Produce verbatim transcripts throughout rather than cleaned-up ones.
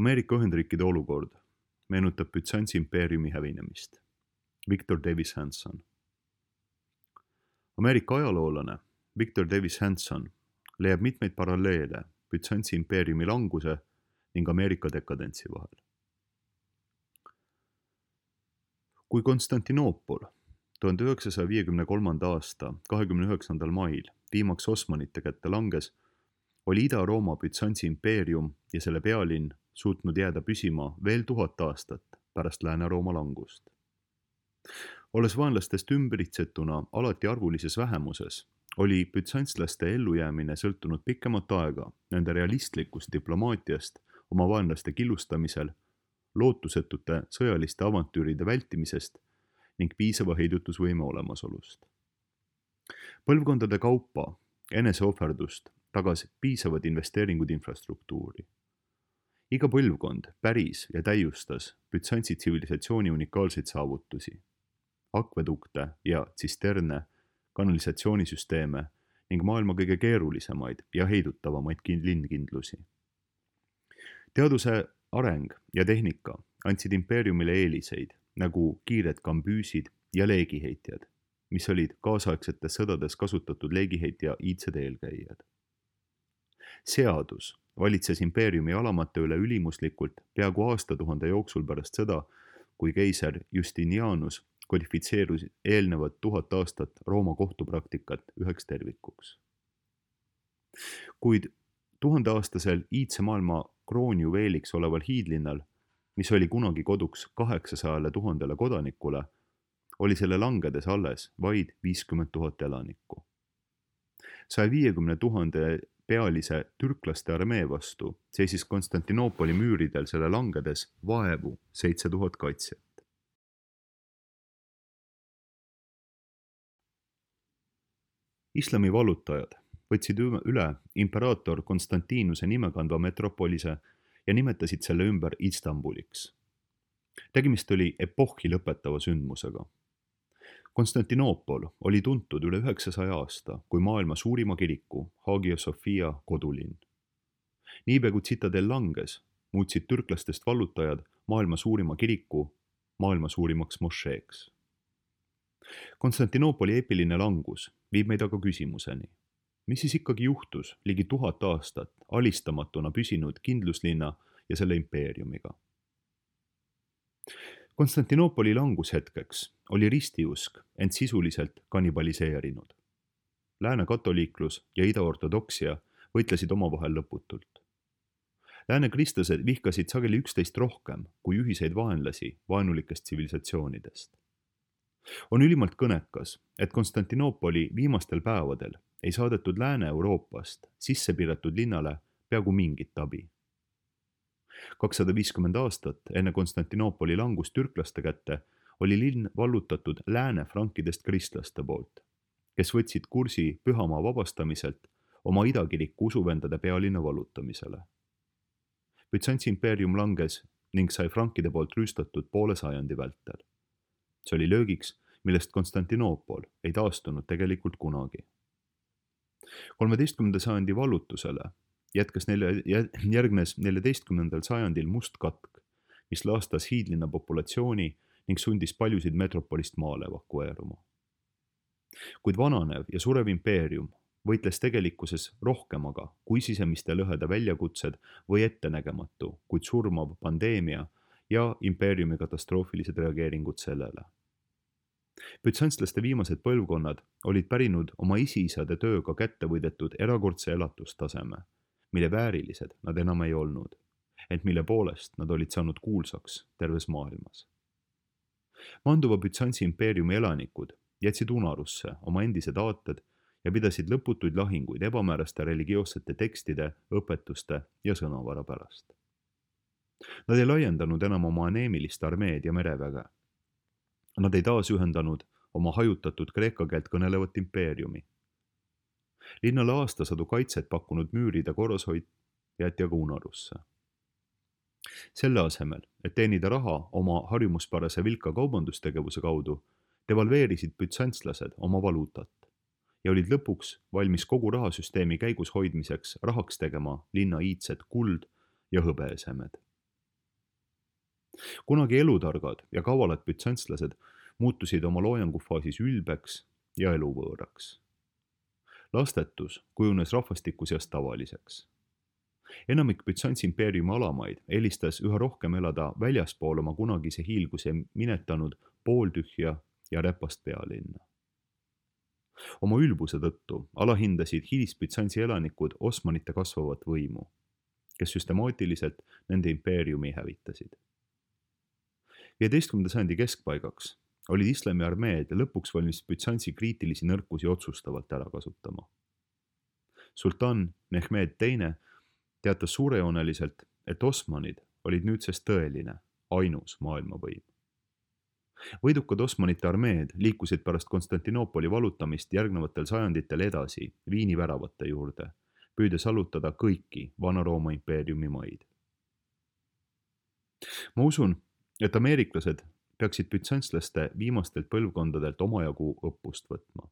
Ameerika Ühendriikide olukord meenutab Bütsantsi impeeriumi hävinemist. Victor Davis Hanson. Ameerika ajaloolane Victor Davis Hanson leiab mitmeid paralleele Bütsantsi impeeriumi languse ning Ameerika dekadentsi vahel. Kui Konstantinoopol tuhande üheksasaja viiekümne kolmanda aasta kahekümne üheksandal mail viimaks Osmanite kätte langes, oli Ida-Rooma Bütsantsi impeerium ja selle pealinn suutnud jääda püsima veel tuhat aastat pärast Lääne-Rooma langust. Olles vaenlastest ümbritsetuna alati arvulises vähemuses, oli bütsantslaste ellujäämine sõltunud pikemat aega nende realistlikust diplomaatiast oma vaenlaste killustamisel, lootusetute sõjaliste avantüüride vältimisest ning piisava heidutusvõime olemasolust. Põlvkondade kaupa eneseohverdust tagas piisavad investeeringud infrastruktuuri. Iga põlvkond päris ja täiustas Bütsantsi tsivilisatsiooni unikaalseid saavutusi, akvedukte ja tsisterne, kanalisatsioonisüsteeme ning maailma kõige keerulisemaid ja heidutavamaid linnkindlusi. Teaduse areng ja tehnika andsid impeeriumile eeliseid, nagu kiired kambüüsid ja leegiheitjad, mis olid kaasaegsetes sõdades kasutatud leegiheitja iidsed eelkäijad. Seadus valitses impeeriumi alamate üle ülimuslikult peaaegu aastatuhande jooksul pärast seda, kui keiser Justinianus kodifitseerus eelnevad tuhat aastat Rooma kohtupraktikat üheks tervikuks. Kuid tuhandeaastasel iidse maailma kroonjuveeliks oleval hiidlinnal, mis oli kunagi koduks kaheksasajale tuhandele kodanikule, oli selle langedes alles vaid viiskümmend tuhat elanikku. saja viiekümne tuhande pealise türklaste armee vastu seisis Konstantinoopoli müüridel selle langedes vaevu seitse tuhat kaitsjat. Islami vallutajad võtsid üle imperaator Konstantinuse nimekandva metropolise ja nimetasid selle ümber Istanbuliks. Tegemist oli epohhi lõpetava sündmusega. Konstantinoopol oli tuntud üle üheksasaja aasta kui maailma suurima kiriku, Hagia Sophia kodulinn. Niipea kui tsitadel langes, muutsid türklastest vallutajad maailma suurima kiriku maailma suurimaks mošeeks. Konstantinoopoli eepiline langus viib meid aga küsimuseni, mis siis ikkagi juhtus ligi tuhat aastat alistamatuna püsinud kindluslinna ja selle impeeriumiga. Konstantinoopoli langushetkeks oli ristiusk end sisuliselt kannibaliseerinud. Lääne katoliiklus ja idaortodoksia võitlesid omavahel lõputult. Lääne kristlased vihkasid sageli üksteist rohkem kui ühiseid vaenlasi vaenulikest tsivilisatsioonidest. On ülimalt kõnekas, et Konstantinoopoli viimastel päevadel ei saadetud Lääne-Euroopast sisse piiratud linnale peaaegu mingit abi. kakssada viiskümmend aastat enne Konstantinoopoli langust türklaste kätte oli linn vallutatud lääne frankidest kristlaste poolt, kes võtsid kursi pühamaa vabastamiselt oma idakiriku usuvendade pealinna vallutamisele. Bütsantsi impeerium langes ning sai frankide poolt rüüstatud poole sajandi vältel. See oli löögiks, millest Konstantinoopol ei taastunud tegelikult kunagi. kolmeteistkümnenda sajandi vallutusele jätkas nelja, järgnes neljateistkümnendal sajandil must katk, mis laastas hiidlinna populatsiooni ning sundis paljusid metropolist maale evakueeruma. Kuid vananev ja surev impeerium võitles tegelikkuses rohkemaga kui sisemiste lõhede väljakutsed või ettenägematu, kuid surmav pandeemia ja impeeriumi katastroofilised reageeringud sellele. Bütsantslaste viimased põlvkonnad olid pärinud oma isiisade tööga kätte võidetud erakordse elatustaseme, mille väärilised nad enam ei olnud, ent mille poolest nad olid saanud kuulsaks terves maailmas. Manduva Bütsantsi impeeriumi elanikud jätsid unarusse oma endised aated ja pidasid lõputuid lahinguid ebamääraste religioossete tekstide, õpetuste ja sõnavara pärast. Nad ei laiendanud enam oma aneemilist armeed ja mereväge. Nad ei taasühendanud oma hajutatud kreeka keelt kõnelevat impeeriumi. Linnale aastasadu kaitset pakkunud müüride korrashoid jäeti aga unarusse. Selle asemel, et teenida raha oma harjumuspärase vilka kaubandustegevuse kaudu, devalveerisid bütsantslased oma valuutat ja olid lõpuks valmis kogu rahasüsteemi käigus hoidmiseks rahaks tegema linna iidsed kuld ja hõbeesemed. kunagi elutargad ja kavalad bütsantslased muutusid oma loojangufaasis ülbeks ja eluvõõraks. Lastetus kujunes rahvastiku seas tavaliseks. Enamik Bütsantsi impeeriumi alamaid eelistas üha rohkem elada väljaspool oma kunagise hiilguse minetanud pooltühja ja räpast pealinna. Oma ülbuse tõttu alahindasid hilis-Bütsantsi elanikud Osmanite kasvavat võimu, kes süstemaatiliselt nende impeeriumi hävitasid. viieteistkümnenda sajandi keskpaigaks olid islami armeed lõpuks valmis Bütsantsi kriitilisi nõrkusi otsustavalt ära kasutama. Sultan Mehmed teine teatas suurejooneliselt, et Osmanid olid nüüdsest tõeline, ainus maailmavõim. Võidukad Osmanite armeed liikusid pärast Konstantinoopoli valutamist järgnevatel sajanditel edasi Viini väravate juurde, püüdes allutada kõiki Vana-Rooma impeeriumi maid. Ma usun, et ameeriklased peaksid bütsantslaste viimastelt põlvkondadelt omajagu õppust võtma.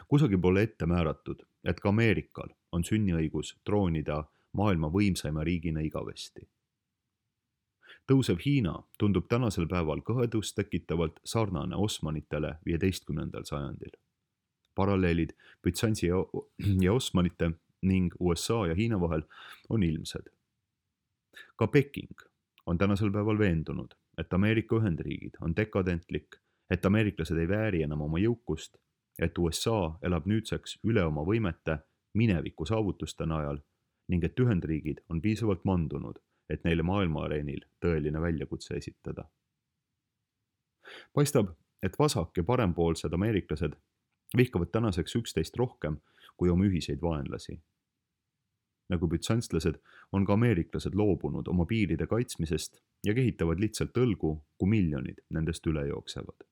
Kusagil pole ette määratud, et ka Ameerikal on sünniõigus troonida maailma võimsaima riigina igavesti. Tõusev Hiina tundub tänasel päeval kõhedust tekitavalt sarnane Osmanitele viieteistkümnendal sajandil. Paralleelid Bütsantsi ja Osmanite ning U S A ja Hiina vahel on ilmsed. Ka Peking on tänasel päeval veendunud, et Ameerika Ühendriigid on dekadentlik, et ameeriklased ei vääri enam oma jõukust, et U S A elab nüüdseks üle oma võimete mineviku saavutuste najal ning et Ühendriigid on piisavalt mandunud, et neile maailmaareenil tõeline väljakutse esitada. Paistab, et vasak- ja parempoolsed ameeriklased vihkavad tänaseks üksteist rohkem kui oma ühiseid vaenlasi. Nagu bütsantslased on ka ameeriklased loobunud oma piiride kaitsmisest ja kehitavad lihtsalt õlgu, kui miljonid nendest üle jooksevad.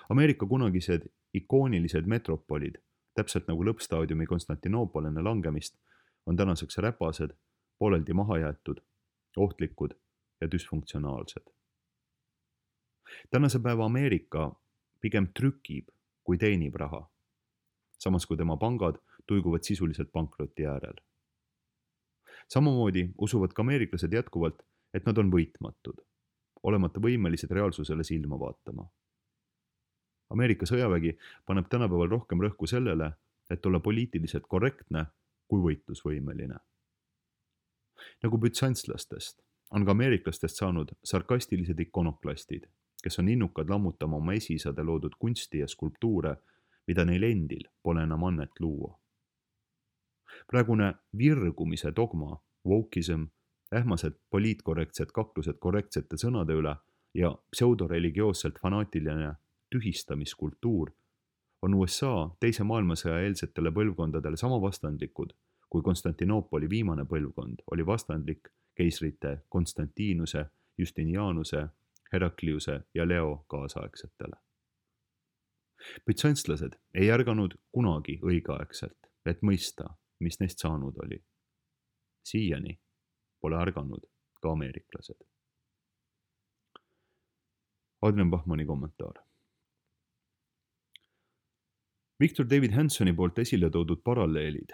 Ameerika kunagised ikoonilised metropolid, täpselt nagu lõppstaadiumi Konstantinoopol enne langemist, on tänaseks räpased, pooleldi mahajäetud, ohtlikud ja düsfunktsionaalsed. Tänase päeva Ameerika pigem trükib, kui teenib raha, samas kui tema pangad tuiguvad sisuliselt pankroti äärel. Samamoodi usuvad ka ameeriklased jätkuvalt, et nad on võitmatud, olemata võimelised reaalsusele silma vaatama. Ameerika sõjavägi paneb tänapäeval rohkem rõhku sellele, et olla poliitiliselt korrektne kui võitlusvõimeline. Nagu bütsantslastest on ka ameeriklastest saanud sarkastilised ikonoklastid, kes on innukad lammutama oma esiisade loodud kunsti ja skulptuure, mida neil endil pole enam annet luua. Praegune virgumise dogma, wokeism, ähmased poliitkorrektsed kaklused korrektsete sõnade üle ja pseudoreligioosselt fanaatiline tühistamiskultuur on U S A teise maailmasõja eelsetele põlvkondadele sama vastandlikud, kui Konstantinoopoli viimane põlvkond oli vastandlik keisrite Konstantinuse, Justinianuse, Herakliuse ja Leo kaasaegsetele. Bütsantslased ei ärganud kunagi õigeaegselt, et mõista, mis neist saanud oli. Siiani pole ärganud ka ameeriklased. Adrian Bachmanni kommentaar. Victor David Hansoni poolt esile toodud paralleelid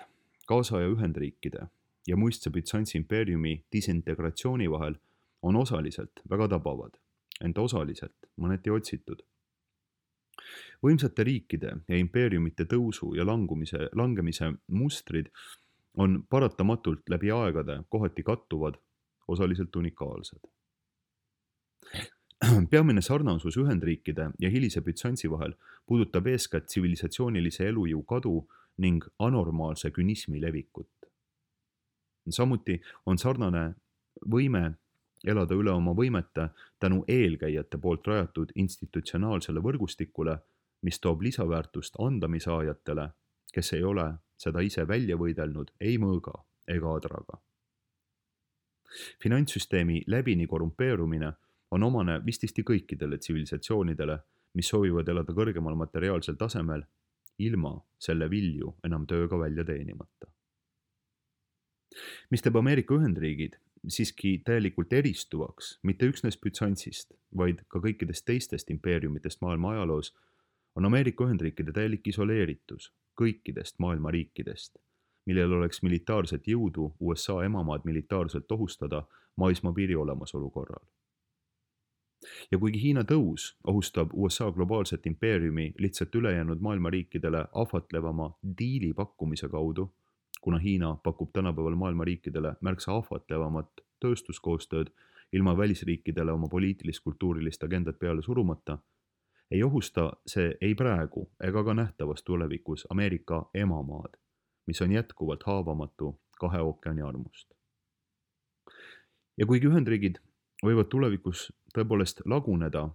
kaasaja Ühendriikide ja muistse Bütsantsi impeeriumi disintegratsiooni vahel on osaliselt väga tabavad, ent osaliselt mõneti otsitud. Võimsate riikide ja impeeriumite tõusu ja langumise, langemise mustrid on paratamatult läbi aegade kohati kattuvad, osaliselt unikaalsed. Peamine sarnasus Ühendriikide ja hilise Bütsantsi vahel puudutab eeskätt tsivilisatsioonilise elujõu kadu ning anormaalse künismi levikut. Samuti on sarnane võime elada üle oma võimete tänu eelkäijate poolt rajatud institutsionaalsele võrgustikule, mis toob lisaväärtust andamisaajatele, kes ei ole seda ise välja võidelnud ei mõõga ega adraga. Finantssüsteemi läbini korrumpeerumine on omane vististi kõikidele tsivilisatsioonidele, mis soovivad elada kõrgemal materiaalsel tasemel, ilma selle vilju enam tööga välja teenimata. Mis teeb Ameerika Ühendriigid siiski täielikult eristuvaks mitte üksnes Bütsantsist, vaid ka kõikidest teistest impeeriumitest maailma ajaloos, on Ameerika Ühendriikide täielik isoleeritus kõikidest maailma riikidest, millel oleks militaarset jõudu U S A emamaad militaarselt ohustada maismaapiiri olemasolu korral. Ja kuigi Hiina tõus ohustab U S A globaalset impeeriumi lihtsalt ülejäänud maailma riikidele ahvatlevama diili pakkumise kaudu, kuna Hiina pakub tänapäeval maailma riikidele märksa ahvatlevamat tööstuskoostööd ilma välisriikidele oma poliitilis-kultuurilist agendat peale surumata, ei ohusta see ei praegu ega ka nähtavas tulevikus Ameerika emamaad, mis on jätkuvalt haavamatu kahe ookeani armust. Ja kuigi Ühendriigid võivad tulevikus tõepoolest laguneda,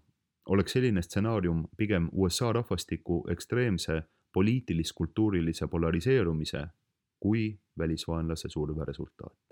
oleks selline stsenaarium pigem U S A rahvastiku ekstreemse poliitilis-kultuurilise polariseerumise kui välisvaenlase surve resultaat.